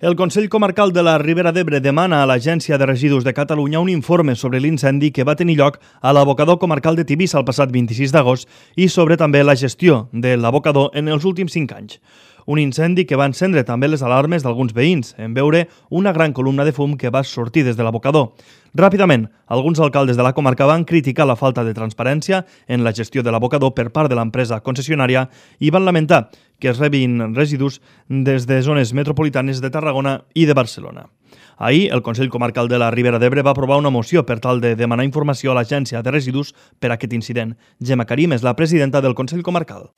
El Consell Comarcal de la Ribera d'Ebre demana a l'Agència de Residus de Catalunya un informe sobre l'incendi que va tenir lloc a l'abocador comarcal de Tivissa el passat 26 d'agost i sobre també la gestió de l'abocador en els últims 5 anys. Un incendi que va encendre també les alarmes d'alguns veïns en veure una gran columna de fum que va sortir des de l'abocador. Ràpidament, alguns alcaldes de la comarca van criticar la falta de transparència en la gestió de l'abocador per part de l'empresa concessionària i van lamentar que es rebin residus des de zones metropolitanes de Tarragona i de Barcelona. Ahir, el Consell Comarcal de la Ribera d'Ebre va aprovar una moció per tal de demanar informació a l'Agència de Residus per a aquest incident. Gemma Karim és la presidenta del Consell Comarcal.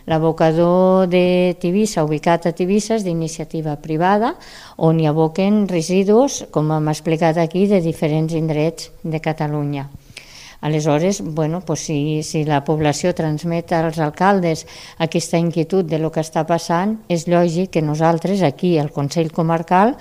L'abocador de Tivissa, ubicat a Tivissa, és d'iniciativa privada, on hi aboquen residus, com hem explicat aquí, de diferents indrets de Catalunya. Aleshores, si la població transmet als alcaldes aquesta inquietud de lo que està passant, és lògic que nosaltres aquí, al Consell Comarcal,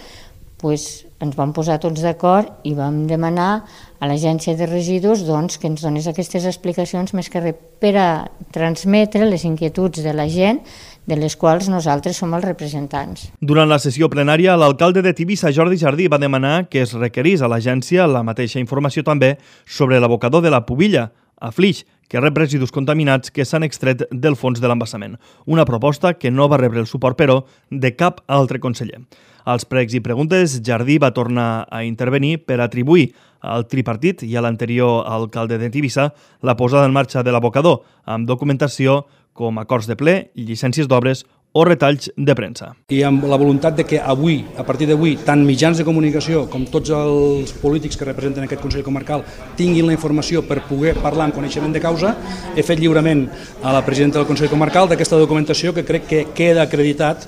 ens vam posar tots d'acord i vam demanar a l'Agència de Residus que ens donés aquestes explicacions més que res per a transmetre les inquietuds de la gent de les quals nosaltres som els representants. Durant la sessió plenària, l'alcalde de Tivissa, Jordi Jardí, va demanar que es requerís a l'agència la mateixa informació també sobre l'abocador de la Pubilla, a Flix, que rep residus contaminats que s'han extret del fons de l'embassament. Una proposta que no va rebre el suport, però, de cap altre conseller. Als pregs i preguntes, Jardí va tornar a intervenir per atribuir al tripartit i a l'anterior alcalde de Tivissa la posada en marxa de l'abocador, amb documentació com acords de ple, llicències d'obres o retalls de premsa. I amb la voluntat de que avui, a partir d'avui, tant mitjans de comunicació com tots els polítics que representen aquest Consell Comarcal tinguin la informació per poder parlar amb coneixement de causa, he fet lliurament a la presidenta del Consell Comarcal d'aquesta documentació que crec que queda acreditat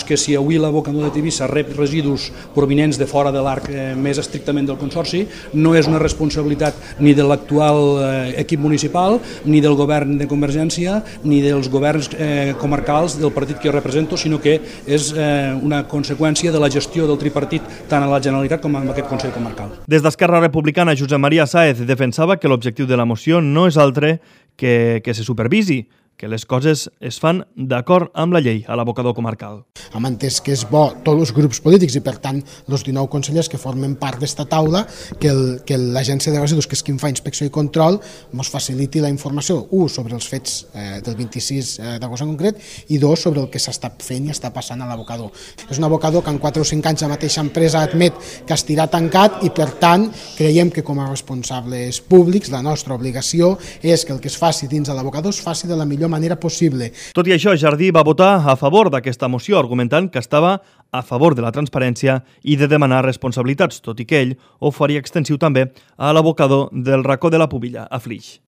que si avui l'abocador de Tivissa rep residus provinents de fora de l'arc més estrictament del Consorci, no és una responsabilitat ni de l'actual equip municipal, ni del govern de Convergència, ni dels governs comarcals del partit que jo represento, sinó que és una conseqüència de la gestió del tripartit tant a la Generalitat com a aquest Consell Comarcal. Des d'Esquerra Republicana, Josep Maria Sáez defensava que l'objectiu de la moció no és altre que se supervisi, que les coses es fan d'acord amb la llei a l'abocador comarcal. Hem entès que és bo tots els grups polítics i, per tant, els 19 consellers que formen part d'esta taula, que l'Agència de Residus, que és qui fa inspecció i control, ens faciliti la informació, sobre els fets del 26 d'agost en concret, i sobre el que s'està fent i està passant a l'abocador. És un abocador que en 4 o 5 anys la mateixa empresa admet que estirà tancat i, per tant, creiem que com a responsables públics la nostra obligació és que el que es faci dins de l'abocador es faci de la millor manera possible. Tot i això, Jardí va votar a favor d'aquesta moció, argumentant que estava a favor de la transparència i de demanar responsabilitats, tot i que ell ho faria extensiu també a l'abocador del racó de la Pubilla, a Flix.